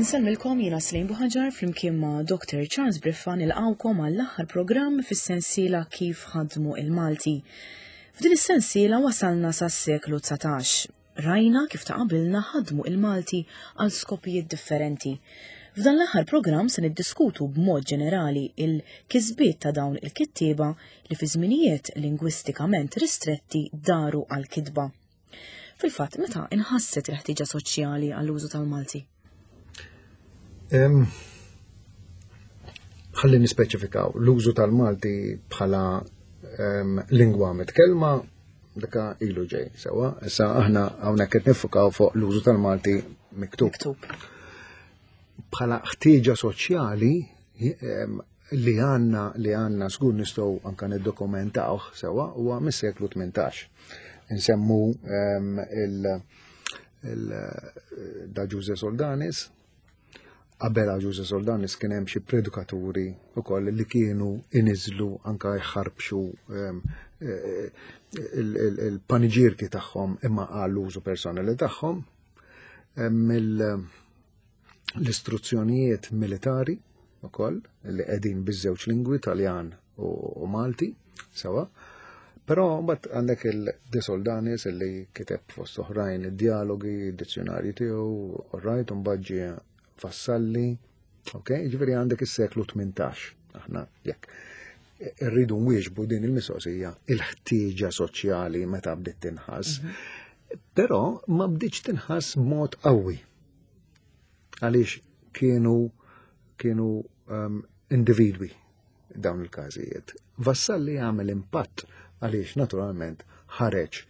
Insellmilkom jiena Slim Buħaġar flimkien ma' Dr. Charles Briffa nilqawkom għall-aħħar programm fis-sensiela Kif ħadmu il-Malti. F'din is-sensiela wasalna sas-seklu 19. Rajna kif ta' qabilna ħadmu il-Malti għal skopijiet differenti. F'dan l-aħħar programm se niddiskutu b'mod ġenerali il-kisbiet ta' dawn il-kittieba li fi żminijiet lingwistikament ristretti daru għal-kitba. Fil-fatt, meta inħasset il-ħtieġa soċjali għall-użu tal-Malti? Ħalli nispeċifikaw, l-użu tal-Malti bħala lingwa mitkellma dika ilu ġej, sewa, issa aħna hawnhekk qed nifukaw fuq l-użu tal-Malti miktub. Miktub. Bħala ħtieġa soċjali li għanna li għanna żgur nistgħu anka niddokumentawh sewa huwa mis-seklu 18. Insemmu il, il da Ġuże Soldanis, qabel Ġuże Soldanis kien hemm xi predikaturi wkoll li kienu iniżlu anka jħarbxu eh, il-paniġirki tagħhom imma għall-użu personali tagħhom. L-istruzzjonijiet militari ukoll li qegħdin biż-żewġ lingwi Taljan u Malti sewa. Però mbagħad għandek il-De Soldanis li kiteb fost oħrajn id-dialogi, id-dizzjonarju tiegħu, rajt mbagħad ġie Vassalli, ok, ġifieri għandek is-seklu 18, aħna jekk irridu nwieġbu din il-mistoqsija il-ħtieġa soċjali meta bdiet tinħass. Mhm. Però ma bdietx tinħass b'mod qawwi. Għaliex kienu kienu um, individwi dawn il-każijiet. Vassalli għamel impatt għaliex naturalment ħareġ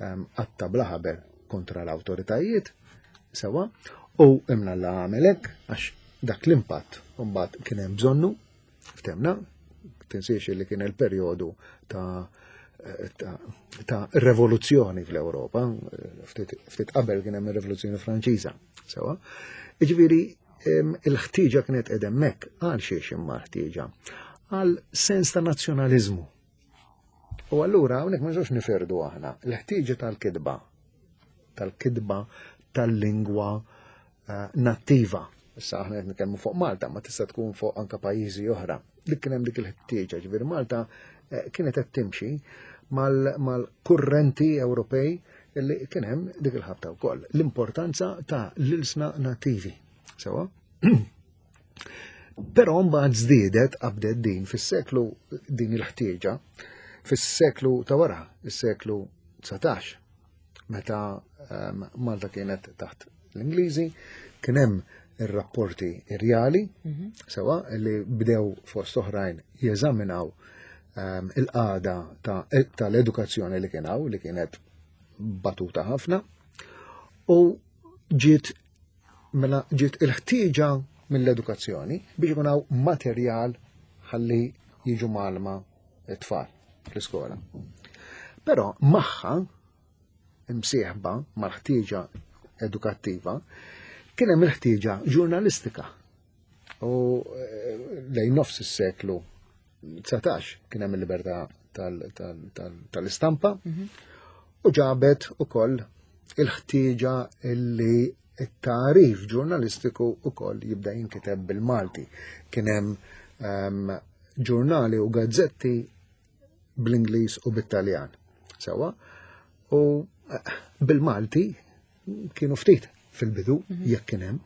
ehm, għatta bla ħabel kontra l-awtoritajiet sewa u imna la għamel hekk għax dak l-impatt mbagħad kien hemm bżonnu ftemna tinsiex li kien il-perjodu ta' ta', ta rivoluzzjoni fl-Ewropa, ftit qabel kien hemm ir-Rivoluzzjoni Franċiża, sewa. Jiġifieri il-ħtieġa kienet qed hemmhekk għal xiex imma ħtieġa għal sens ta' nazzjonaliżmu. U allura hawnhekk ma nistgħux niferdu aħna l-ħtieġa tal-kitba tal-kitba tal-lingwa eh, nattiva. Issa aħna qed nitkellmu fuq Malta, ma tista' tkun fuq anka pajjiżi oħra. Dik kien hemm dik il-ħtieġa, ġifieri Malta eh, kienet qed timxi mal-kurrenti Ewropej li kien hemm dik il-ħabta wkoll. L-importanza ta' l-ilsna nattivi. Sewa? Però mbagħad żdiedet qabdet din fis-seklu din il-ħtieġa fis-seklu ta' wara, is-seklu 19, meta ehm, Malta kienet taħt l-Ingliżi, kien hemm ir-rapporti irjali, mhm. sewa li bdew fost oħrajn jeżaminaw ehm, il-qagħda tal-edukazzjoni li kien hawn, li kienet batuta ħafna, u ġiet mela ġiet il-ħtieġa mill-edukazzjoni biex ikun hawn materjal ħalli jiġu malma it-tfal fl-iskola. Però magħha imsieħba mal-ħtieġa edukattiva kien hemm il-ħtieġa ġurnalistika. U eh, lejn nofs is-seklu 19 kien hemm il-libertà tal-istampa mhm. u ġabet ukoll il-ħtieġa illi it-tarif ġurnalistiku ukoll jibda jinkiteb bil-Malti. Kien hemm ehm, ġurnali u gazzetti bl-Ingliż u bit-Taljan. Sewa, u eh, bil-Malti kienu ftit fil-bidu mhm. jekk kien hemm.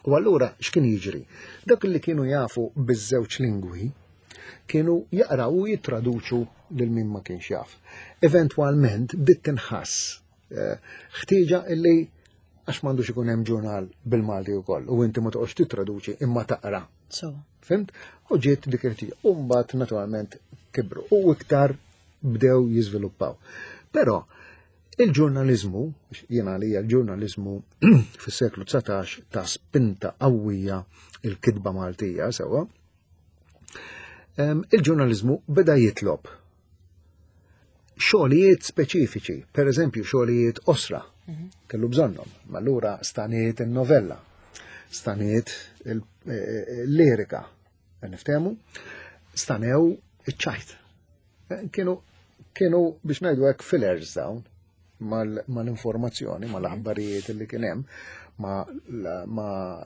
U allura x'kien jiġri? Dak li kienu jafu biż-żewġ lingwi kienu jaqraw u jittraduċu lil min ma kienx jaf. Eventwalment bdiet tinħass eh, ħtieġa illi għax m'għandux ikun hemm ġurnal bil-Malti wkoll u inti ma toqgħodx tittraduċi imma taqra. So. Fimt? U ġiet dik il-ħtieġa. U mbagħad naturalment kibru u iktar bdew jiżviluppaw. Però Il-ġurnaliżmu, jiena għalija l-ġurnaliżmu fis-seklu 19 ta' spinta qawwija il-kitba Maltija sewwa. Il-ġurnaliżmu beda jitlob xogħlijiet speċifiċi, per eżempju xogħlijiet osra, mhm. kellu bżonnhom, ma allura staniet il-novella, staniet il-lirika, eh, niftehmu, stanew iċ-ċajt. Eh, kienu kienu biex ngħidu hekk fillers dawn mal-informazzjoni, mal-aħbarijiet li kien hemm. ma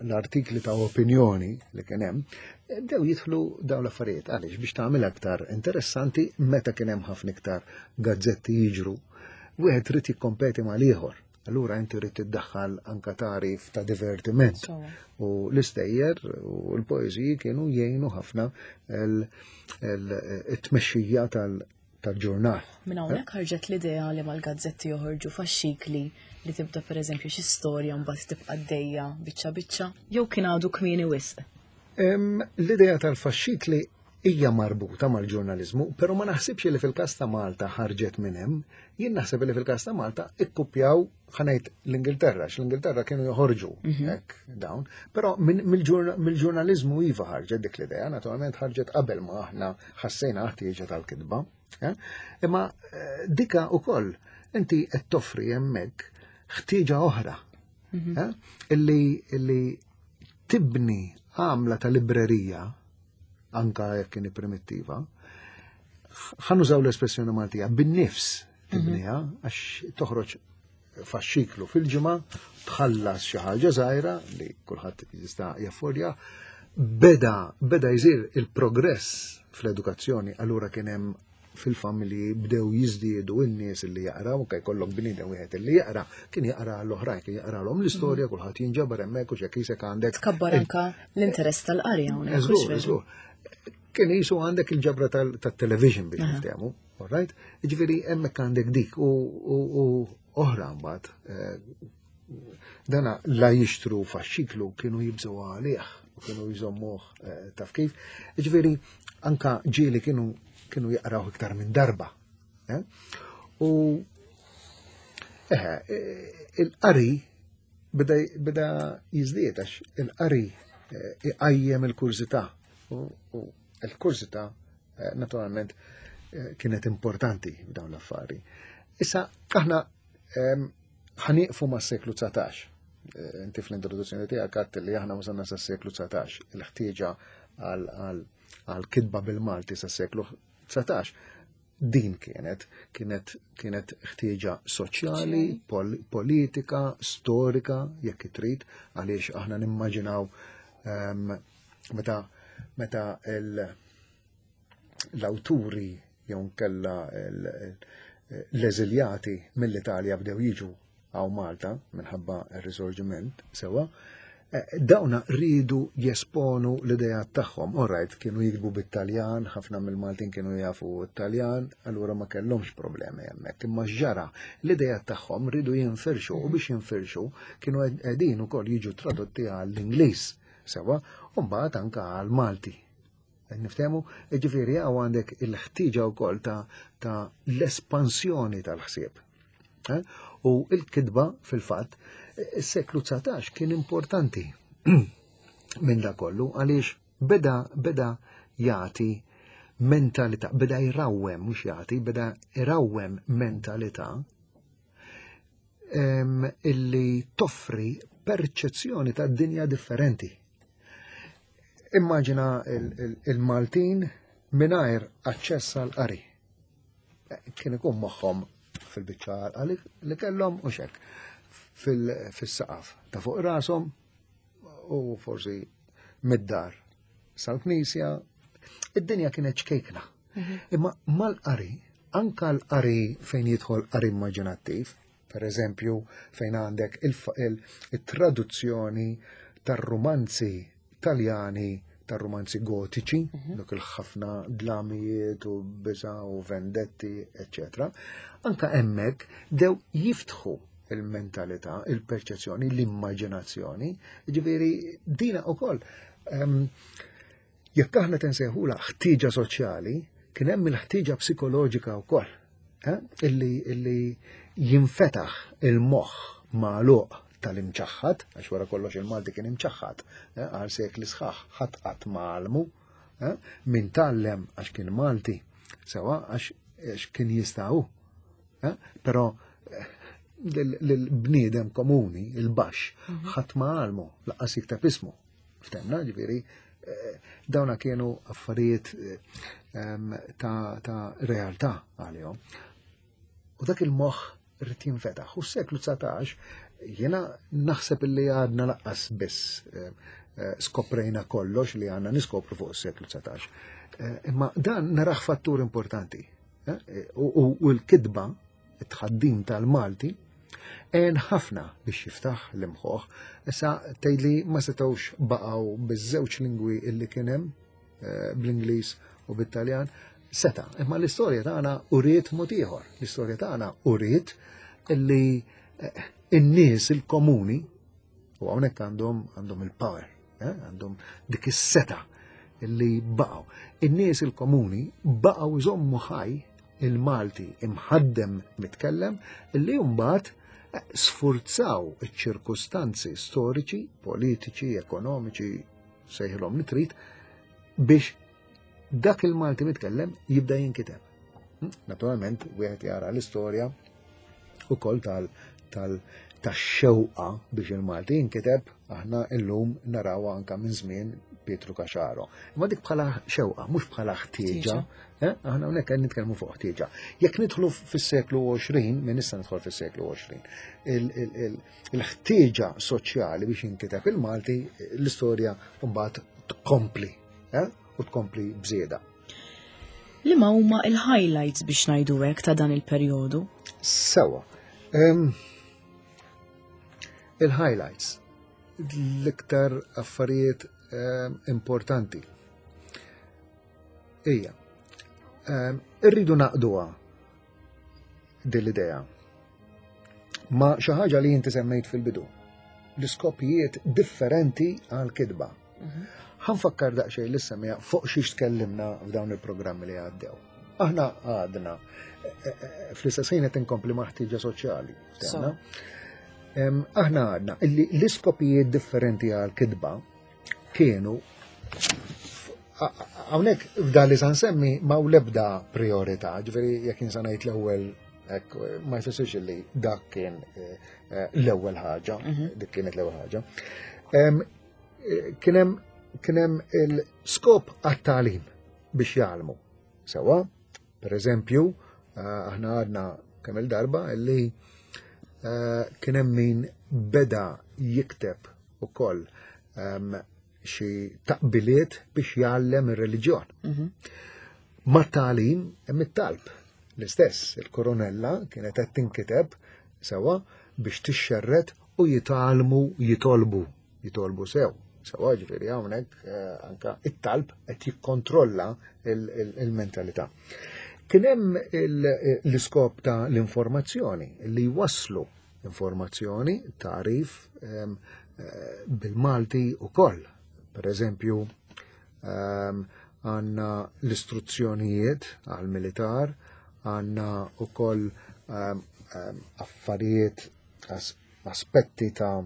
l-artikli ta' opinjoni li kien hemm, bdew jidħlu dawn l-affarijiet għaliex biex tagħmel aktar interessanti meta kien hemm ħafna iktar gazzetti jiġru, wieħed trid jikkompeti mal-ieħor. Allura inti trid tiddaħħal anka tarif ta' divertiment. U l-istejjer u l-poeżiji kienu jgħinu ħafna il-tmexxija tal-ġurnal. Minn hawnhekk ħarġet l-idea li mal-gazzetti joħorġu faxxikli li tibda pereżempju xi storja mbagħad tibqa' dejja biċċa biċċa, jew kien għadu kmieni wisq? L-idea tal-faxxikli hija marbuta mal-ġurnaliżmu, però ma naħsibx li fil-każ ta' Malta ħarġet minn hemm, jien naħseb li fil-każ ta' Malta ikkupjaw ħanejt l-Ingilterra, l-Ingilterra kienu joħorġu mhm. hekk dawn, però mill-ġurnaliżmu iva ħarġet dik l-idea, naturalment ħarġet qabel ma aħna ħassejna ħtieġa tal-kitba. Eh? Imma eh, dika ukoll inti qed toffri hemmhekk ħtieġa oħra mhm. eh? illi tibni għamla ta' librerija anka jekk kien primittiva, ħanużaw l-espressjoni Maltija, bin-nifs tibniha mhm. għax toħroġ faxxiklu fil-ġimgħa, tħallas xi ħaġa żgħira li kulħadd jista' jaffordja, beda beda jsir il-progress fl-edukazzjoni, allura kien hemm fil-familji bdew jiżdiedu n-nies li jaqraw, anke jkollok bniedem wieħed li jaqra, kien jaqra l-oħrajn, kien jaqralhom l-istorja, mhm. kulħadd jinġabar hemmhekk u x'hekk isek għandek. Tkabbar anka l-interess tal-qari hawnhekk. Kien jisu għandek il-ġabra tat-television biex niftehmu, all right? Jiġifieri hemmhekk għandek dik u oħra mbagħad eh, Dana la jixtru faxxiklu kienu jibżgħu għalih u kienu jżommuh eh, taf kif. Ġifieri anka ġieli kienu kienu jaqraw iktar minn darba. Eh? U eħe, eh, il-qari beda, beda jizdiet għax il-qari iqajjem il-kurżità u l-kurżità naturalment kienet importanti f'dawn l-affari. Issa aħna ehm, ħanieqfu mas-seklu 19. Eh, inti fl-introduzzjoni tiegħek għadt li aħna wasalna sas-seklu 19, il-ħtieġa għal kitba bil-Malti sas-seklu 19. Din kienet kienet kienet ħtieġa soċjali, pol politika, storika, jekk trid, għaliex aħna nimmaġinaw um, meta meta l-awturi jew nkella l-eżiljati mill-Italja bdew jiġu għaw Malta minħabba r-risorġiment sewa, eh, dawna rridu jesponu l-idea tagħhom. Alright, kienu jiktbu bit-Taljan, ħafna mill-Maltin kienu jafu t-Taljan, allura ma kellhomx problemi hemmhekk. Imma ġara l-idea tagħhom rridu jinfirxu u biex jinfirxu kienu qegħdin ukoll jiġu tradotti għall-Ingliż sewa, u mbagħad anke għall-Malti. Qed niftehmu? Ġifieri hawn għandek il-ħtieġa wkoll ta', ta l-espansjoni tal-ħsieb. Eh? U il-kitba fil-fatt, is-seklu 19 kien importanti minn da kollu għaliex beda beda jagħti mentalità, beda jrawwem, mhux jagħti, beda jrawwem mentalità illi toffri perċezzjoni ta' dinja differenti. Immaġina il-Maltin mingħajr aċċess għal qari. Eh, kien ikun moħħhom fil-biċċa għalqa li kellhom u xek fil-saqaf ta' fuq rashom u forsi mid-dar sal-knisja. Id-dinja kienet ċkejkna. Mhm. Imma mal-qari, anka l-qari fejn jidħol qari immaġinattiv, Per eżempju, fejn għandek il-traduzzjoni tar-rumanzi Taljani tar-rumanzi gotiċi, mhm. dak il-ħafna dlamijiet u biża u vendetti, eccetera. Anka hemmhekk dew jiftħu il-mentalità, il-perċezzjoni, l-immaġinazzjoni, ġifieri dina ukoll. Ehm, Jekk aħna tensejħula ħtieġa soċjali, kien hemm il-ħtieġa psikoloġika wkoll, eh? illi, illi jinfetaħ il-moħħ magħluq tal-imċaħħad, għax wara kollox il-Malti kien imċaħħad, eh, għal sekli sħaħ ħadd qatt ma eh, min tgħallem għax kien Malti, sewa għax kien jistgħu. Però l-bniedem komuni, il-baxx, mhm. ħadd ma għalmu, laqqas jikteb ismu. Ftemna, ġifieri, eh, dawna kienu affarijiet eh, ta', ta realtà għalihom. U dak il-moħħ rrid jinfetaħ. U s-seklu 19 Jiena naħseb illi għadna laqqas biss eh, eh, skoprejna kollox li għandna niskopru fuq is-seklu 19. Eh, imma dan naraħ fattur importanti. U l-kitba, it-tħaddim tal-Malti, għen ħafna biex jiftaħ l-imħoħ. Issa tgħidli ma setgħux baqgħu biż-żewġ lingwi illi kien hemm bl-Ingliż u bit-Taljan, seta. Imma l-istorja tagħna uriet mod ieħor. L-istorja tagħna uriet illi eh, in-nies il-komuni u hawnhekk għandhom għandhom il-power, eh, għandhom dik is-seta illi baqgħu. In-nies il-komuni baqgħu jżommu ħaj il-Malti imħaddem mitkellem illi mbagħad eh, sfurzaw iċ-ċirkustanzi storiċi, politiċi, ekonomiċi, sejħilhom li trid, biex dak il-Malti mitkellem jibda jinkiteb. Hm? Naturalment, wieħed jara l-istorja ukoll tal tal tax-xewqa biex il-Malti jinkiteb aħna illum naraw anka minn żmien Pietru Caxaro. Imma dik bħala xewqa, mhux bħala ħtieġa. Eh? Aħna hawnhekk qed nitkellmu fuq ħtieġa. Jekk nidħlu fis-seklu 20, minn issa nidħol fis-seklu 20, il-ħtieġa soċjali biex jinkiteb il-Malti, l-istorja mbagħad tkompli, eh? u tkompli bżieda. Liema huma il-highlights biex ngħidu hekk ta' dan il-perjodu? Sewa. Il-highlights l-iktar affarijiet importanti. Ija, irridu naqduha din l-idea ma xi ħaġa li inti semmejt fil-bidu. L-iskopijiet differenti għal kitba. Mhm. Ħanfakkar daqsxejn li semmija fuq xiex tkellimna f'dawn il-programmi li għaddew. Aħna għadna e, e, e, fl-istess ħin qed inkompli ma' ħtieġa soċjali. Aħna għadna illi l-iskopijiet differenti għal kitba kienu hawnhekk f'dan li san semmi ma lebda priorità, ġifieri jekk insa ngħid l-ewwel hekk ma jfissirx li dak kien eh, eh, l-ewwel ħaġa, mhm. dik kienet l-ewwel ħaġa. Eh, kien hemm il-skop għat-tagħlim biex jgħallmu. Sewa, per eżempju, aħna għadna kemm il-darba li kien hemm min beda jikteb ukoll ehm, xi taqbiliet biex jgħallem ir-reliġjon. Mhm. Ma' tagħlim hemm it-talb. L-istess, il-koronella kienet qed tinkiteb sewa biex tixxerret u jitgħallmu jitolbu, jitolbu sew. Sewa ġifieri hawnhekk eh, anka it-talb qed jikkontrolla il-mentalità. Kien hemm l-iskop ta' l-informazzjoni li jwasslu informazzjoni, tagħrif ehm, eh, bil-Malti ukoll. Per eżempju, ehm, għanna l-istruzzjonijiet għal-militar, għanna ukoll ehm, affarijiet, aspetti ta'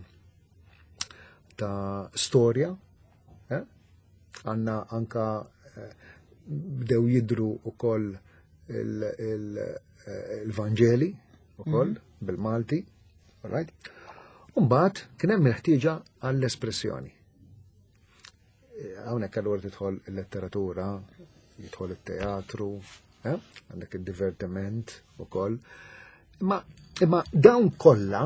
ta' storja, eh? għanna anka eh, bdew jidru ukoll il-Vanġeli ukoll mhm. bil-Malti, all right? Umbagħad kien hemm il-ħtieġa għall-espressjoni. Eh, hawnhekk allura tidħol il-letteratura, jidħol it-teatru, eh? għandek id-divertiment ukoll. Imma imma dawn kollha,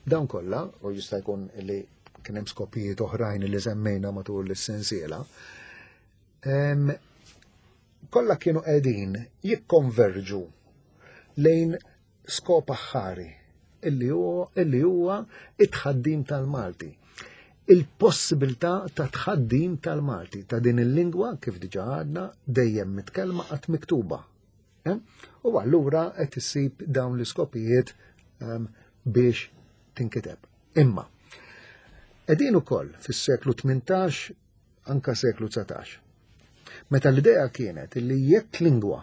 dawn kollha, u jista' jkun li kien hemm skopijiet oħrajn li semmejna matul is-sensiela, kollha kienu qegħdin jikkonverġu lejn skop aħħari illi huwa illi huwa it-tħaddim tal-Malti. Il-possibilità ta' tħaddim tal-Malti ta' din il-lingwa kif diġà għadna dejjem mitkellma qatt miktuba. Eh? U allura qed issib dawn l-iskopijiet ehm, biex tinkiteb. Imma, qegħdin ukoll fis-seklu 18 anka seklu 19. Meta l-idea kienet li jekk lingwa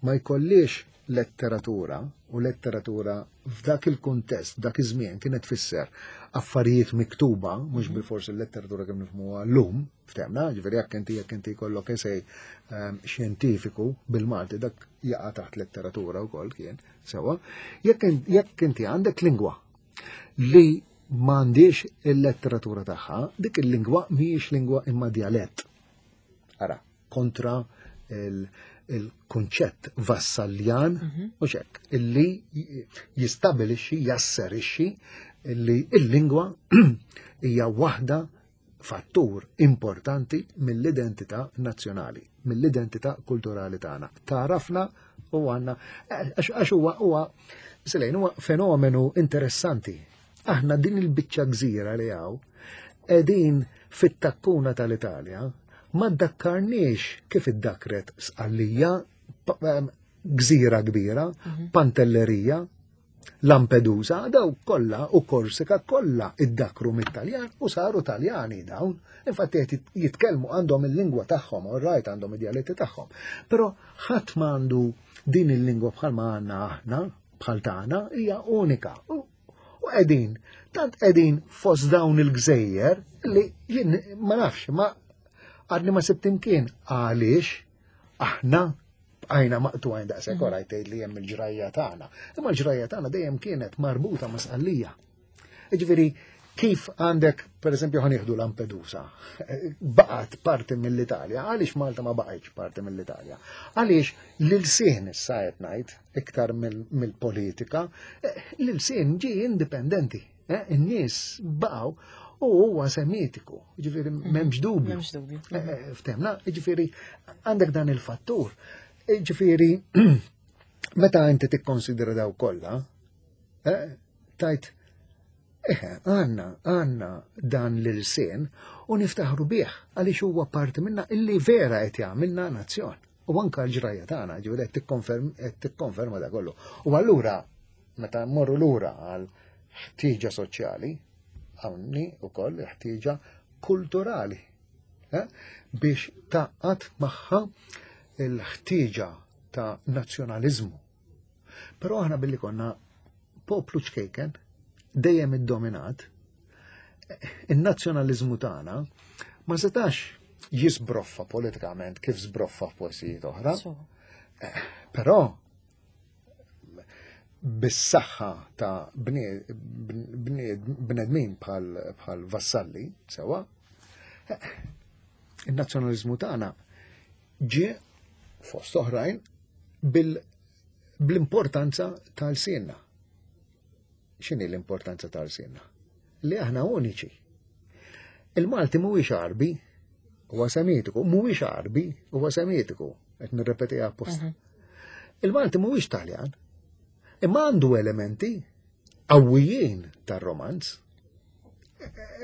ma jkollix letteratura u letteratura f'dak il-kuntest, dak iż-żmien kienet tfisser affarijiet miktuba, mhux mhm. bil-forsi l-letteratura kemm nifhmuha llum, ftemna, ġifieri jekk inti jekk inti jkollok esej ehm, xjentifiku bil-Malti dak jaqa' taħt letteratura wkoll kien sewa, jekk inti għandek lingwa li m'għandix il-letteratura tagħha, dik il-lingwa mhijiex lingwa imma djalett. Ara, kontra il-kunċett vassaljan u xek, illi jistabilixxi, jasserixxi illi il-lingwa hija waħda fattur importanti mill-identità nazzjonali, mill-identità kulturali tagħna. Tarafna u għandna għax huwa huwa Selejn huwa fenomenu interessanti. Aħna din il-biċċa gżira li hawn qegħdin fit-takkuna tal-Italja ma ddakkarniex kif iddakret Sqallija, gżira kbira, Pantellerija, Lampedusa, daw kollha u Korsika kollha iddakru mit-Taljan u saru Taljani dawn. Infatti qed jitkellmu għandhom il-lingwa tagħhom, all right, għandhom id-dialetti tagħhom. Però ħadd m'għandu din il-lingwa bħalma għandna aħna, bħal tagħna, hija unika. U qegħdin, tant qegħdin fost dawn il-gżejjer li jien ma nafx, ma għadni ma sibt imkien għaliex aħna bqajna maqtugħin daqshekk wara tgħid li hemm il-ġrajja tagħna. Imma l-ġrajja tagħna dejjem kienet marbuta ma' Sqallija. Jiġifieri kif għandek, per eżempju, ħa nieħdu Lampedusa, baqgħet parti mill-Italja, għaliex Malta ma baqgħetx parti mill-Italja? Għaliex l-ilsien issa qed ngħid iktar mill-politika, l-ilsien ġie indipendenti. In-nies baqgħu u huwa semitiku, ġifieri m'hemmx dubju. M'hemmx dubju. Ftemna, ġifieri għandek dan il-fattur. Ġifieri meta inti tikkonsidra daw kollha, tajt għandna għandna dan l-ilsien u niftaħru bih għaliex huwa parti minna illi vera qed jagħmilna nazzjon. U anka l-ġrajja tagħna, ġifieri qed tikkonferma da kollu. U allura meta mmorru lura għal ħtieġa soċjali, hawnni wkoll ħtieġa kulturali biex taqgħad magħha l-ħtieġa ta' nazzjonaliżmu. Però aħna billi konna poplu ċkejken, dejjem iddominat, in-nazzjonaliżmu tagħna ma setax jisbroffa politikament kif sbroffa f'postijiet oħra. Però bis-saħħa ta' bnedmin bħal Vassalli, sewa, in-nazzjonaliżmu tagħna ġie fost oħrajn bl-importanza tal-sienna. X'inhi l-importanza tal-sienna? Li aħna uniċi. Il-Malti mhuwiex Għarbi, huwa Semitiku, mhuwiex Għarbi, huwa Semitiku, qed nirrepetiha apposta. Il-Malti mhuwiex Taljan, imma għandu elementi qawwijin tar-romanz.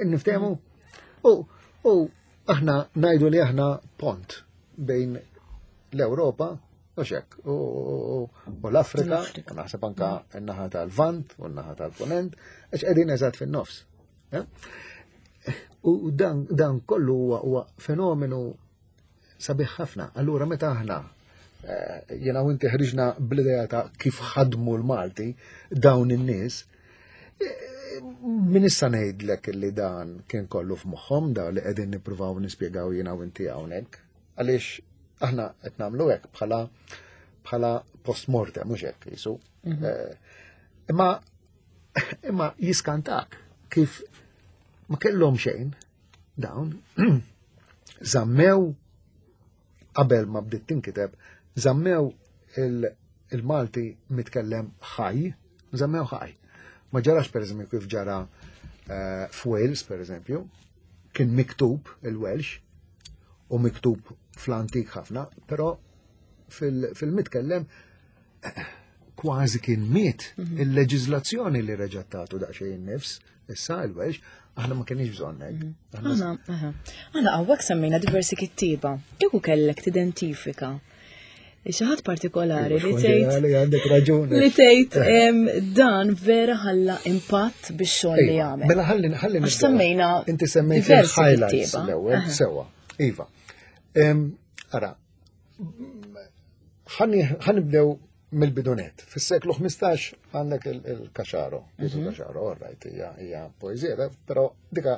Niftehmu? U aħna ngħidu li aħna pont bejn l-Ewropa u xek, u l-Afrika, u naħseb anka n-naħa tal-Vant u n-naħa tal-Ponent, għax qegħdin eżatt fin-nofs. U dan kollu huwa fenomenu sabiħ ħafna. Allura meta aħna jiena u inti ħriġna bl-idea ta' kif ħadmu l-Malti dawn in-nies, min issa ngħidlek li dan kien kollu f'moħħhom da li qegħdin nippruvaw nispjegaw jiena u inti hawnhekk. Għaliex aħna qed nagħmlu hekk bħala post-mortem, mhux hekk jisu. Imma jiskantak kif ma kellhom xejn dawn żammew qabel ma bdiet tinkiteb, żammew il-Malti mitkellem ħaj, żammew ħaj. Ma ġarax per eżempju kif ġara f'Wales per eżempju, kien miktub il-Welsh u miktub fl-antik ħafna, però fil-mitkellem kważi kien miet il-leġiżlazzjoni li reġgħet tagħtu daqsxejn nifs, issa il-Welsh, aħna ma kienx bżonn hekk. Aħna hawnhekk semmejna diversi kittieba. Kieku kellek tidentifika xi ħadd partikolari li tgħid li għandek raġuni. Li tgħid dan vera ħalla impatt bix-xogħol li jagħmel. Mela ħalli ħalli Għax semmejna inti semmejt diversi il-highlights kittieba. l-ewwel sewwa. Iva. Ara, ħanibdew mill-bidunet. Fis-seklu 15 għandek il-Caxaro, Pietro Caxaro, all right, hija poeżija, però dika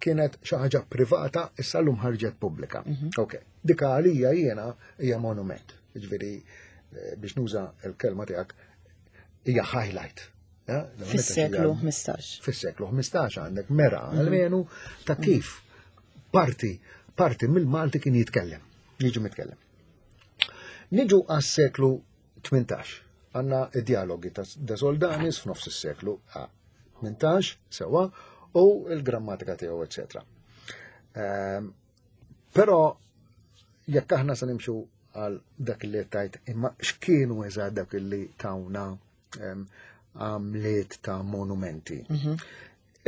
kienet xi ħaġa privata, issa llum ħarġet pubblika. Ok, dika għalija jiena hija monument. Jiġifieri biex nuża l-kelma tiegħek hija highlight. Fis-seklu 15. Fis-seklu 15 għandek mera almenu ta' kif parti mill-Malti kien jitkellem, jiġi mitkellem. Niġu għas-seklu 18. Għanna id-dialogi ta' De Soldanis f'nofs is-seklu 18, sewa, u l-grammatika tiegħu, eċetera. Ehm, però jekk aħna se nimxu għal dak li tajt imma x'kienu eżatt dak li tawna ehm, għamliet ta' monumenti. Mhm.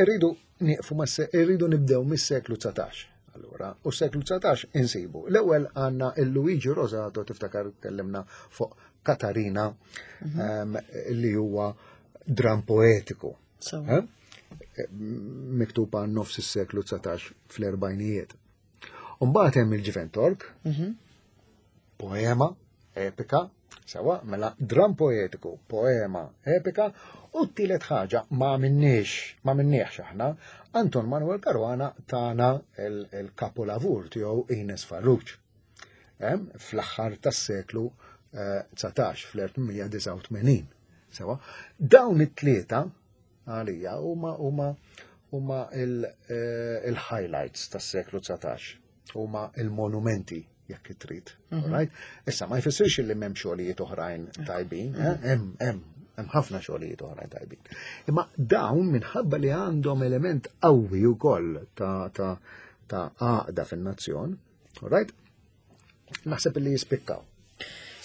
Irridu nieqfu ma' irridu nibdew mis-seklu 19. Allura, u s-seklu 19 insibu. L-ewwel għandna il-Luigi Rosato tiftakar tkellimna fuq Katarina mhm. ehm, li huwa dram poetiku. Eh? Miktub għan nofs is-seklu 19 fl-erbajnijiet. Umbagħad hemm il-Ġifen Tork, mhm. poema epika, sewa, mela dram poetiku, poema epika, u t-tielet ħaġa ma minniex, ma minniex aħna, Anton Manuel Caruana tana il-kapolavur tiegħu Ines Farrugia. Fl-aħħar tas-seklu 19 eh, fl-1889. Sewa, dawn it-tlieta għalija huma huma huma eh, il-highlights tas-seklu 19, huma il-monumenti jekk trid. Mhm. Right? Issa ma jfissirx li m'hemm xogħlijiet oħrajn tajbin, eh? hemm hemm hemm ħafna xogħlijiet oħrajn tajbin. Imma dawn minħabba li għandhom element qawwi wkoll ta' ta' ta' għaqda fin-nazzjon, right? Naħseb li jispikkaw.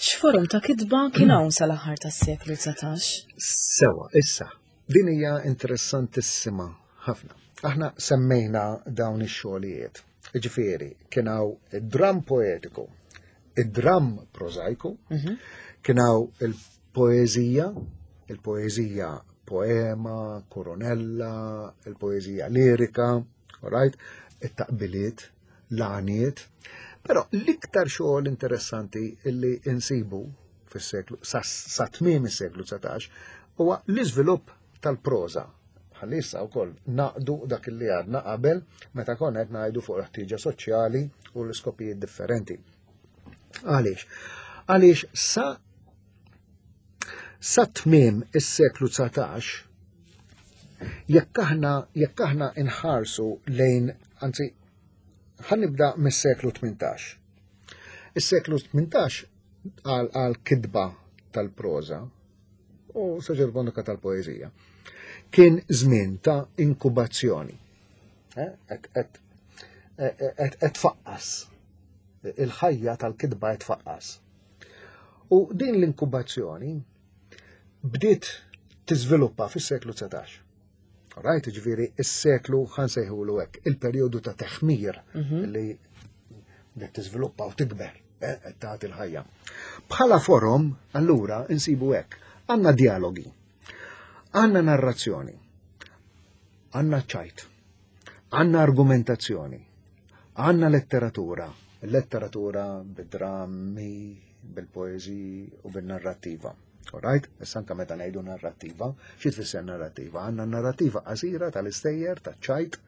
X'forom ta' kitba kien hawn sal-aħħar tas-seklu 19? Sewa, issa, din hija interessantissima ħafna. Aħna semmejna dawn ix-xogħlijiet. Ġifieri, kien hawn id-dram poetiku, id-dram prożajku, mhm. kien hawn il-poeżija, il-poeżija poema, koronella, il-poeżija lirika, right? it-taqbiliet, l-għaniet. Però l-iktar xogħol interessanti li insibu fis-seklu sa tmiem is-seklu 19 huwa l-iżvilupp tal-proża. Ħalli issa wkoll naqdu dak li għadna qabel meta konna qed ngħidu fuq l-ħtieġa soċjali u l-iskopijiet differenti. Għaliex? Għaliex sa sa tmiem is-seklu 19 jekk aħna jekk aħna inħarsu lejn anzi Ħa nibda mis-seklu 18. Is-seklu 18 għal kitba tal-proża u saġerbonika tal-poeżija kien żmien ta' inkubazzjoni. Eh, qed tfaqqas. Il-ħajja tal-kitba qed tfaqqas. U din l-inkubazzjoni bdiet tiżviluppa fis-seklu 19. Rajt, ġviri, is-seklu ħansejħulu hekk, il-perjodu ta' teħmir mhm. li bdiet tiżviluppa u tikber, eh, qed tagħti l-ħajja. Bħala forom, allura, insibu hekk, għandna dialogi, għandna narrazzjoni, għandna ċajt, għandna argumentazzjoni, għandna letteratura, letteratura bid-drammi, bil-poeżiji u bin-narrattiva. Alright? Issa anka meta ngħidu narrattiva, xi tfisser narrattiva? Għandna narrattiva qasira tal-istejjer, taċ-ċajt,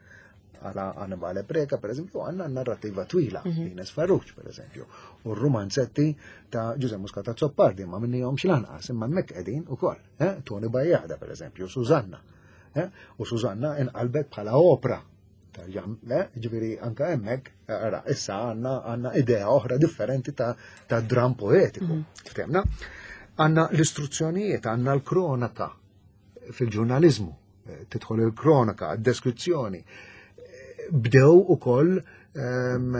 għala Annibale Preka, per eżempju, għanna narrattiva twila, mm -hmm. Ines Farrugia, per eżempju, u r-romanzetti ta' Ġuże Muscat Azzopardi, ma minnihom x'lanqas, imma hemmhekk qegħdin ukoll, eh? Tony Bajjada, per eżempju, Susanna. Eh? U Susanna inqalbet bħala opra Eh, ġifieri anka hemmhekk, eh, ara, issa għandna għandna idea oħra differenti ta', ta dram poetiku. Mm. Ftemna? Għandna l-istruzzjonijiet, għandna l-kronaka fil-ġurnalizmu, eh, tidħol il-kronaka, deskrizzjoni. Bdew ukoll ehm,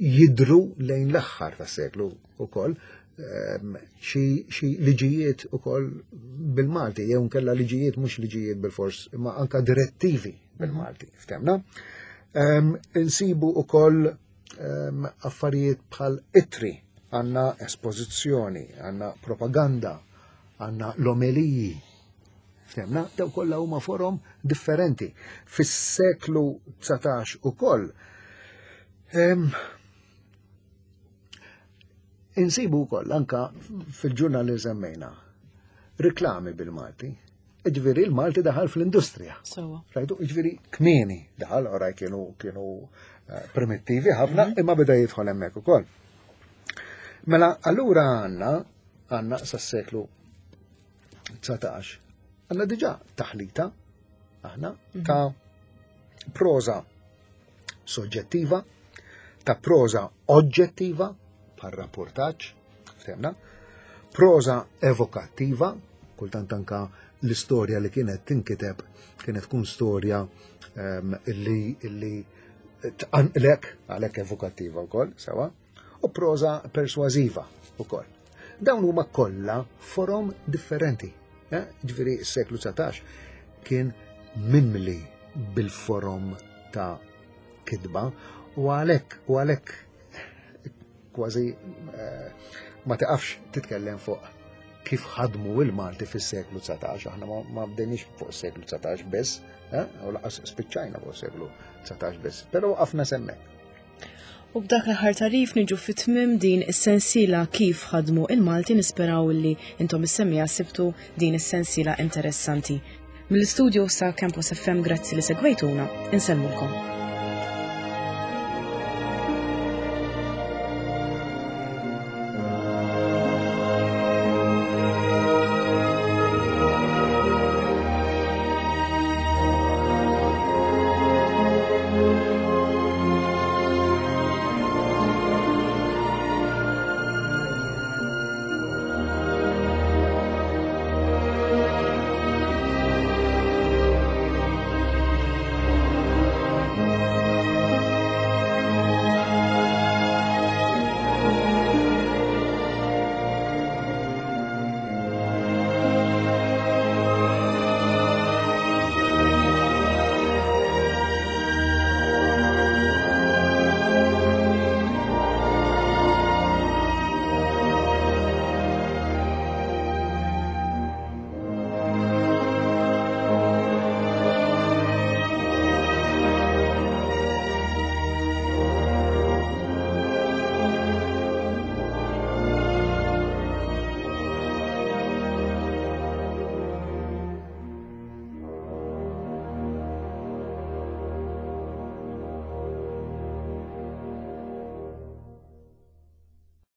jidru lejn l-aħħar tas-seklu ukoll ehm, xi liġijiet ukoll bil-Malti, jew nkella liġijiet mhux liġijiet bil-fors, imma anka direttivi bil-Malti, ftemna. Ehm, insibu ukoll ehm, affarijiet bħal itri, għanna espożizzjoni, għanna propaganda, għanna l-omeliji. Ftemna, daw kollha huma forom differenti. Fis-seklu 19 ukoll ehm, insibu wkoll anka fil-ġurnal li semmejna riklami bil-Malti. Ġifieri il-Malti daħal fl-industrija. Rajtu, ġifieri kmieni daħal, oraj kienu kienu eh, primittivi ħafna, mhm. imma beda jidħol hemmhekk ukoll. Mela allura għandna għandna sas-seklu 19 għandna diġà taħlita aħna mhm. ta' proza soġġettiva, ta' proza oġġettiva, bħal rapportaġġ, ftehmna. Proża evokattiva, kultant anka l-istorja li kienet tinkiteb kienet tkun storja ehm, illi illi tqanqlek għalhekk evokattiva wkoll, sewa, u proża persważiva wkoll. Dawn huma kollha forom differenti. Eh? Ġifieri s-seklu 19 kien mimli bil-forom ta' kitba u għalhekk u għalhekk kważi eh, ma tiqafx titkellem fuq kif ħadmu il-Malti fis-seklu 19, aħna ma bdejniex fuq is-seklu 19 biss, eh, u laqas spiċċajna fuq is-seklu 19 biss, però waqafna semmek. U b'dak l-aħħar tarif niġu fit-tmim din is-sensiela kif ħadmu il-Malti nisperaw li intom is-semmiegħa sibtu din is-sensiela interessanti. Mill-istudio sa Campus FM grazzi li segwejtuna, insellmulkom.